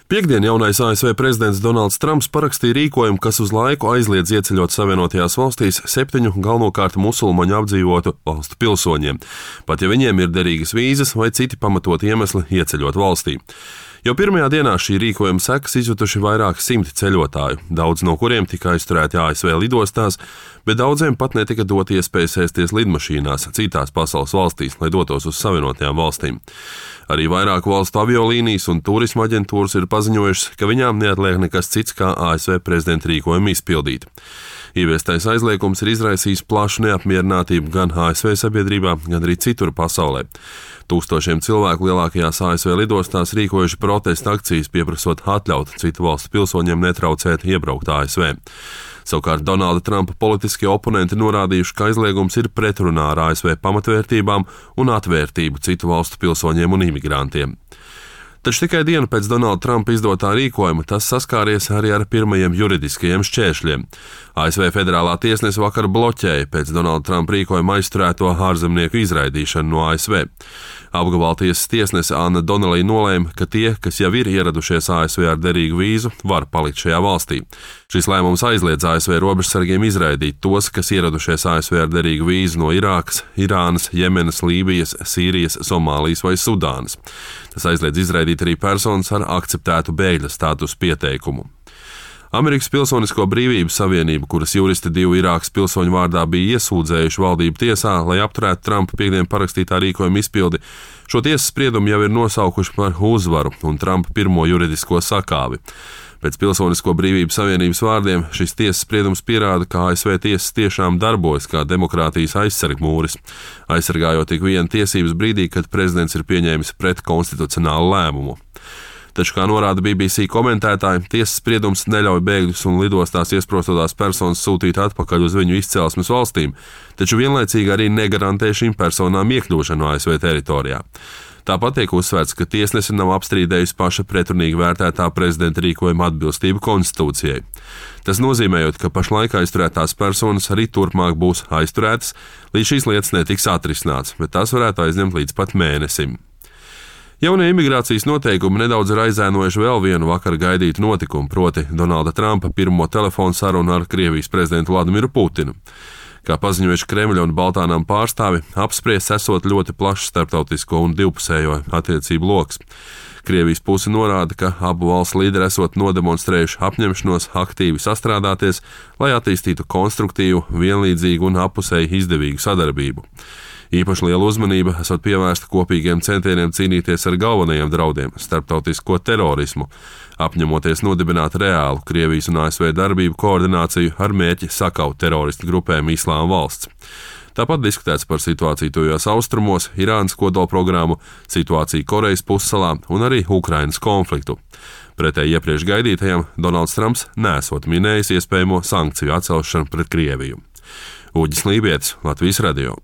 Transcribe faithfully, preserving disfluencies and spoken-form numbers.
Piektdien jaunais A S V prezidents Donalds Trumps parakstīja rīkojumu, kas uz laiku aizliedz ieceļot Savienotajās valstīs septiņu galvenokārt musulmaņu apdzīvotu valstu pilsoņiem, pat ja viņiem ir derīgas vīzas vai citi pamatoti iemesli ieceļot valstī. Jau pirmajā dienā šī rīkojuma sekas izjutuši vairāki simti ceļotāju, daudz no kuriem tika aizturēti A S V lidostās, bet daudziem pat netika dot iespēja sēsties lidmašīnās citās pasaules valstīs, lai dotos uz Savienotajām valstīm. Arī vairāku valstu aviolīnijas un turisma aģentūras ir paziņojušas, ka viņām neatliek nekas cits kā A S V prezidenta rīkojumu izpildīt. Ieviestais aizliegums ir izraisījis plašu neapmierinātību gan A S V sabiedrībā, gan arī citur pasaulē. Tūkstošiem cilvēku lielākajās A S V lidostās rīkojuši protesta akcijas, pieprasot atļaut citu valstu pilsoņiem netraucēt iebraukt A S V. Savukārt Donalda Trumpa politiskie oponenti norādījuši, ka aizliegums ir pretrunā ar A S V pamatvērtībām un atvērtību citu valstu pilsoņiem un imigrantiem. Taču tikai dienu pēc Donalda Trumpa izdotā rīkojuma tas saskāries arī ar pirmajiem juridiskajiem šķēršļiem. A S V federālā tiesnese vakar bloķēja pēc Donalda Trumpa rīkojuma aizturēto ārzemnieku izraidīšanu no A S V. Apgabaltiesas tiesnese Anna Donnelly nolēma, ka tie, kas jau ir ieradušies A S V ar derīgu vīzu, var palikt šajā valstī. Šis lēmums aizliedz A S V robežsargiem izraidīt tos, kas ieradušies A S V ar derīgu vīzu no Irākas, Irānas, Jemenas, Lībijas, Sīrijas, Somālijas vai Sudānas. Tas aizliedz izraidīt arī personas ar akceptētu bēgļa statusu pieteikumu. Amerikas Pilsonisko brīvību savienība, kuras juristi divu Irākas pilsoņu vārdā bija iesūdzējuši valdību tiesā, lai apturētu Trumpa piekdien parakstītā rīkojuma izpildi, šo tiesas spriedumu jau ir nosaukuši par uzvaru un Trumpa pirmo juridisko sakāvi. Pēc Pilsonisko brīvību savienības vārdiem šis tiesas spriedums pierāda, ka A S V tiesas tiešām darbojas kā demokrātijas aizsargmūris, aizsargājot tik vienu tiesības brīdī, kad prezidents ir pieņēmis pretkonstitucionālu lēmumu. Taču, kā norāda B B C komentētāji, tiesas spriedums neļauj bēgļus un lidostās iesprostotās personas sūtīt atpakaļ uz viņu izcelsmes valstīm, taču vienlaicīgi arī negarantē šīm personām iekļūšanu A S V teritorijā. Tāpat tiek uzsvērts, ka tiesnese nav apstrīdējusi paša pretrunīgi vērtētā prezidenta rīkojuma atbilstību konstitūcijai. Tas nozīmējot, ka pašlaik aizturētās personas arī turpmāk būs aizturētas, līdz šīs lietas netiks atrisināts, bet tās varētu aizņemt līdz pat mēnesim. Jaunie imigrācijas noteikumi nedaudz ir aizēnojuši vēl vienu vakar gaidītu notikumu, proti Donalda Trumpa pirmo telefonu sarunu ar Krievijas prezidentu Vladimiru Putinu. Kā paziņojuši Kremļa un Baltānām pārstāvi, apspriests esot ļoti plašs starptautisko un divpusējo attiecību loks. Krievijas puse norāda, ka abu valstu līderi esot nodemonstrējuši apņemšanos aktīvi sastrādāties, lai attīstītu konstruktīvu, vienlīdzīgu un appusēji izdevīgu sadarbību. Īpaši liela uzmanība esot pievērsta kopīgiem centieniem cīnīties ar galvenajiem draudiem - starptautisko terorismu, apņemoties nodibināt reālu Krievijas un A S V darbību koordināciju ar mērķi sakaut teroristu grupēm Islāma valsts. Tāpat diskutēts par situāciju tuvajos austrumos, Irānas kodolprogrammu, situāciju Korejas pussalā un arī Ukrainas konfliktu. Pretēji iepriekš gaidītajam, Donalds Trumps nesot minējis iespējamo sankciju atcelšanu pret Krieviju. Uģis Lībietis, Latvijas radio.